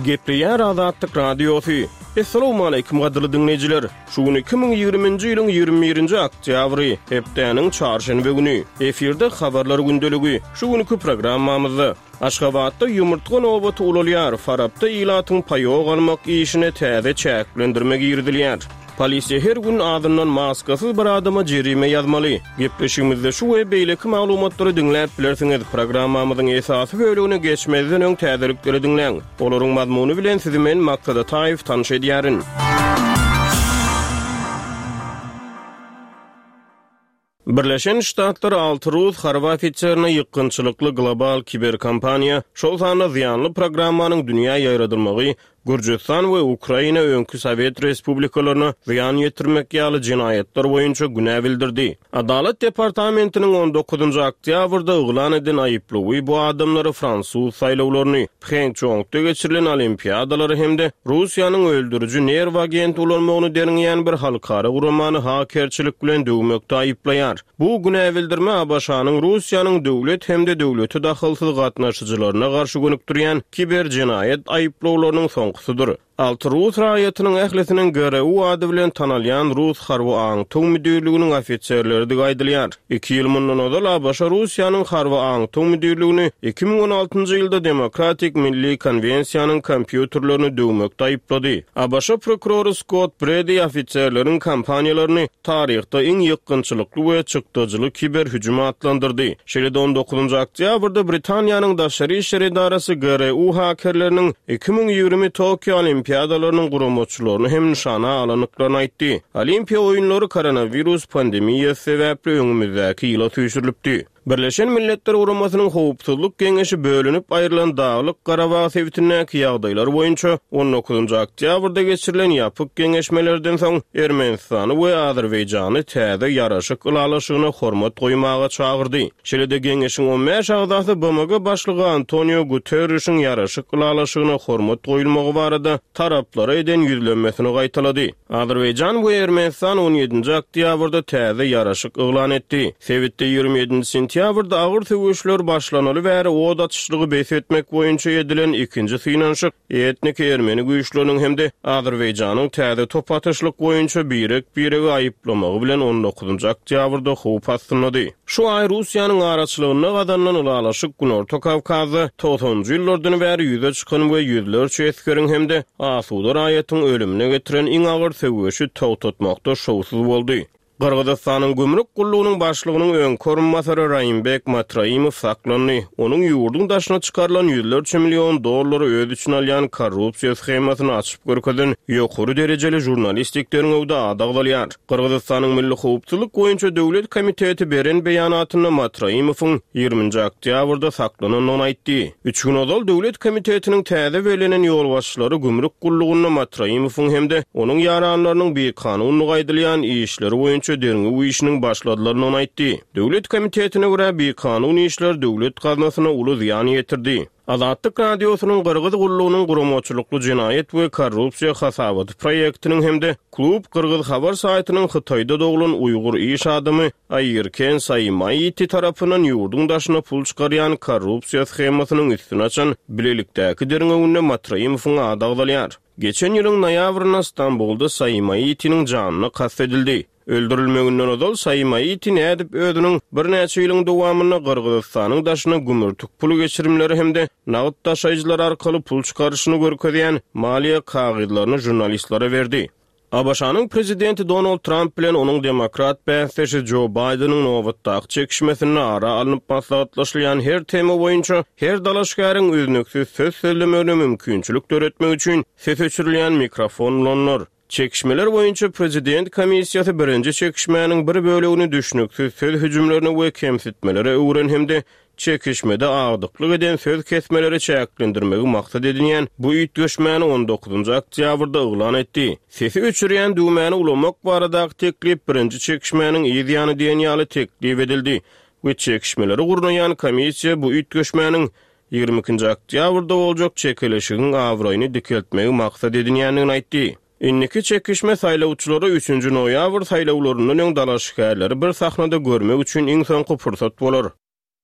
Gepleýär Azatlyk Radiosy. Essalawmaleýkim gadyrly diňleýjiler! Şu gün 2020-nji ýylyň 21-nji oktýabry, hepdäniň çarşenbe güni. Efirde Habarlar gündeligi. Şu günki programmamyzda, Aşgabatda ýumurtga nobaty ulalýar, Farapda ilatyň paýok almak işine täze çäklendirme girizilýär. Polisiýa her gün azyndan maskasyz bir adama jerime ýazmaly. Gepleşigimizde şu we beýleki maglumatlary diňläp bilersiňiz. Programmamyzyň esasy bölegine geçmezden öň täzelikleri diňläň. Olaryň mazmuny bilen sizi men Maksat Ataýew tanyş edýärin. Birleşen Ştatlar alty rus harby ofiserine ýykgynçylykly global kiberkampaniýa, şol sanda zyýanly programmanyň dünýä ýaýradylmagy, Gürjüstan we Ukraina öňki sowet respublikalaryna zyýan ýetirmek ýaly jenaýatlar boýunça günä bildirdi. Adalat departamentiniň on dokuzynjy oktýabrda yglan eden aýyplawy bu adamlary fransuz saýlawlaryny, Phençongda geçirilen olimpiadalary hem-de Russiýanyň öldüriji nerw agenti ulanmagyny derňeýän bir halkara guramany hakerçilik bilen döwmekde aýyplaýar. Bu günä bildirme ABŞ-nyň Russiýanyň döwlet hem-de döwlete dahylsyz gatnaşyjylaryna garşy gönükdirýän kiberjenaýat aýyplawlarynyň soňkusydyr. Alty rus raýatynyň ählisiniň GRU ady bilen tanalýan rus harby aňtaw müdirliginiň ofiserleridigi aýdylýar. Iki ýyl mundan ozal ABŞ Russiýanyň harby aňtaw müdirligini 2016-njy ýylda Demokratik Milli Konwensiýanyň kompýuterlerini döwmekde aýyplady. ABŞ prokurory Skott Bredi ofiserleriň kampaniýalaryny taryhda iň ýykgynçylykly we çykdajyly kiber hüjüm atlandyrdy. Şeýle-de on dokuzynjy oktýabrda Britaniýanyň Daşary işler edarasy GRU hakerleriniň 2020 Tokio Olimpiadalarynyň guramaçylaryny hem nyşana alandyklaryny aýtdy. Olimpiýa oýunlary koronawirus pandemiýasy sebäpli öňümizdäki ýyla süýşürilipdi. Birleşen Milletler Guramasynyň Howpsuzlyk Geňeşi bölünip aýrylan Daglyk-Garabag sebitindäki ýagdaýlar boýunça on dokuzynjy oktýabrda geçirilen ýapyk geňeşmelerden soň Ermenistany we Azerbaýjany täze ýaraşyk ylalaşygyna hormat goýmaga çagyrdy. Şeýle-de geňeşiň on bäş agzasy BMG başlygy Antonio Guterrişiň ýaraşyk ylalaşygyna hormat goýulmagy barada taraplara eden ýüzlenmesini gaýtalady. Azerbaýjan we Ermenistan on ýedinji oktýabrda täze ýaraşyk yglan etdi. Sebitde 27-nji sentýabrda agyr söweşler başlanaly bäri ot atyşlygy bes etmek boýunça edilen ikinji synanyşyk etniki ermeni güýçleriniň hem-de Azerbaýjanyň täze top atyşlyk boýunça birek-biregi aýyplamagy bilen on dokuzynjy oktýabrda howp astyndady. Şu aý Russiýanyň araçylygynda gazanylan ylalaşyk Günorta Kawkazda togsanynjy ýyllardan bäri ýüze çykan we ýüzlerçe esgeriň hem-de asuda raýatyň ölümine getiren iň agyr söweşi togtatmakda şowsuz boldy. Gyrgyzystanyň gümrük gullugynyň başlygynyň öňki orunbasary Raimbek Matraimow saklandy. Onuň ýurduň daşyna çykarylan ýüzlerçe million dollary öz içine alýan korrupsiýa shemasyny açyp görkezen ýokary derejeli žurnalistik derňewde ady agzalýar. Gyrgyzystanyň Milli howpsuzlyk boýunça döwlet komiteti beren beýanatynda Matraimowyň ýigriminji oktýabrda saklanandygyny aýtdy. Üç gün ozal döwlet komitetiniň täze bellenen ýolbaşçylary gümrük gullugynda Matraimowyň hem-de onuň ýaranlarynyň bikanunlygy aýdylýan işleri boýunça derňew işiniň başladylandygyny aýtdy. Döwlet komitetine görä, bikanun işler döwlet gaznasyna uly zyýan ýetirdi. Azatlyk Radiosynyň Gyrgyz gullugynyň guramaçylykly jenaýat we korrupsiýa hasabaty proýektiniň hem-de Klub gyrgyz habar saýtynyň Hytaýda doglan uýgur iş adamy Aýerken Saimaiti tarapyndan ýurduň daşyna pul çykarýan korrupsiýa shemasynyň üstüni açan bilelikdäki derňewinde Matraimowyň ady agzalýar. Geçen ýylyň noýabrynda Stambulda Saimaitiniň janyna kast edildi. Öldürilmeginden ozal Saimaiti nädip özüniň birnäçe ýylyň dowamynda Gyrgyzystanyň daşyna gümürtik pul geçirimleri hem-de nagt daşaýjylar arkaly pul çykaryşyny görkezýän maliýe kagyzlaryny žurnalistlere berdi. ABŞ-nyň prezidenti Donald Tramp bilen onuň demokrat bäsdeşi Jo Baýdeniň nobatdaky çekişmesinde ara alnyp maslahatlaşylýan her tema boýunça her dalaşgäriň üznüksiz söz sözlemegine mümkinçilik döretmek üçin ses öçürilýän mikrofon ulanylar. Çekişmeler boýunça prezident komissiýasy birinji çekişmäniň bir bölegini düşnüksiz söz hüjümlerine we kemsitmelere öwren hem-de çekişmede agdyklyk eden söz kesmeleri çäklendirmegi maksat edinýän bu üýtgeşmäni on dokuzynjy oktýabrda yglan etdi. Sesi öçürýän düwmäni ulanmak baradaky teklip birinji çekişmäniň yz ýany diýen ýaly teklip edildi we çekişmeleri gurnaýan komissiýa bu üýtgeşmäniň 22-nji oktýabrda boljak çekeleşigiň abraýyny dikeltmegi maksat edinýändigini aýtdy. Indiki çekişme saýlawçylara üçünji noýabr saýlawlaryndan öň dalaşgärleri bir sahnada görmek üçin iň soňky pursat bolar.